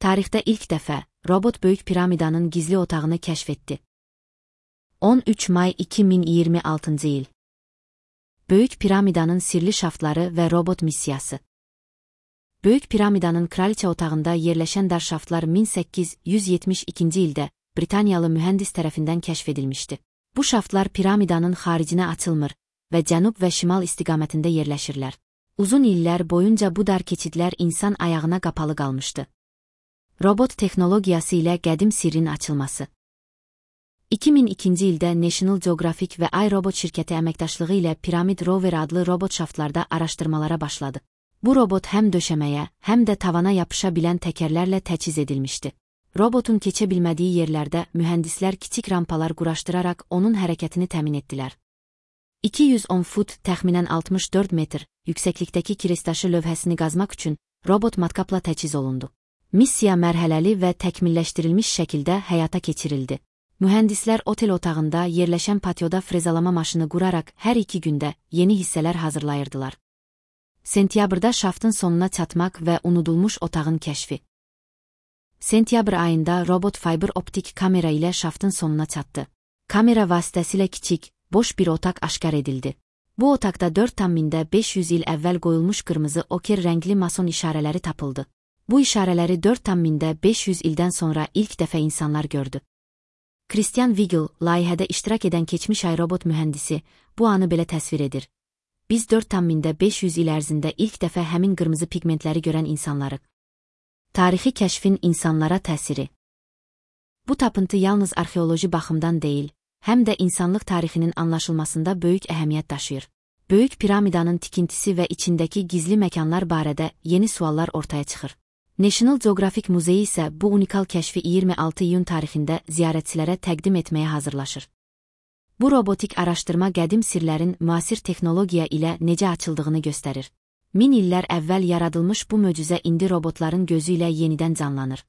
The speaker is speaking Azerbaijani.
Tarixdə ilk dəfə, robot Böyük Piramidanın gizli otağını kəşf etdi. 13 may 2026 il. Böyük Piramidanın sirli şaftları və robot missiyası. Böyük Piramidanın kraliçə otağında yerləşən dar şaftlar 1872-ci ildə Britaniyalı mühəndis tərəfindən kəşf edilmişdi. Bu şaftlar piramidanın xaricinə açılmır və cənub və şimal istiqamətində yerləşirlər. Uzun illər boyunca bu dar keçidlər insan ayağına qapalı qalmışdı. Robot texnologiyası ilə qədim sirrin açılması. 2002-ci ildə National Geographic və iRobot şirkəti əməkdaşlığı ilə Pyramid Rover adlı robot şaftlarda araşdırmalara başladı. Bu robot həm döşəməyə, həm də tavana yapışa bilən təkərlərlə təchiz edilmişdi. Robotun keçə bilmədiyi yerlərdə mühəndislər kiçik rampalar quraşdıraraq onun hərəkətini təmin etdilər. 210 fut, təxminən 64 metr, yüksəklikdəki kireçtaşı lövhəsini qazmaq üçün robot matkapla təchiz olundu. Missiya mərhələli və təkmilləşdirilmiş şəkildə həyata keçirildi. Mühəndislər otel otağında yerləşən patioda frezalama maşını quraraq hər 2 gündə yeni hissələr hazırlayırdılar. Sentyabrda şaftın sonuna çatmaq və unudulmuş otağın kəşfi. Sentyabr ayında robot fiber optik kamera ilə şaftın sonuna çatdı. Kamera vasitəsilə kiçik, boş bir otaq aşkar edildi. Bu otaqda 4,500 il əvvəl qoyulmuş qırmızı oker rəngli mason işarələri tapıldı. Bu işarələri 4,500 ildən sonra ilk dəfə insanlar gördü. Christian Weigel, layihədə iştirak edən keçmiş iRobot mühəndisi, bu anı belə təsvir edir. Biz 4,500 il ərzində ilk dəfə həmin qırmızı pigmentləri görən insanlarıq. Tarixi kəşfin insanlara təsiri. Bu tapıntı yalnız arxeoloji baxımdan deyil, həm də insanlıq tarixinin anlaşılmasında böyük əhəmiyyət daşıyır. Böyük piramidanın tikintisi və içindəki gizli məkanlar barədə yeni suallar ortaya çıxır. National Geographic Muzeyi isə bu unikal kəşfi 26 iyun tarixində ziyarətçilərə təqdim etməyə hazırlaşır. Bu robotik araşdırma qədim sirlərin müasir texnologiya ilə necə açıldığını göstərir. 1000 illər əvvəl yaradılmış bu möcüzə indi robotların gözü ilə yenidən canlanır.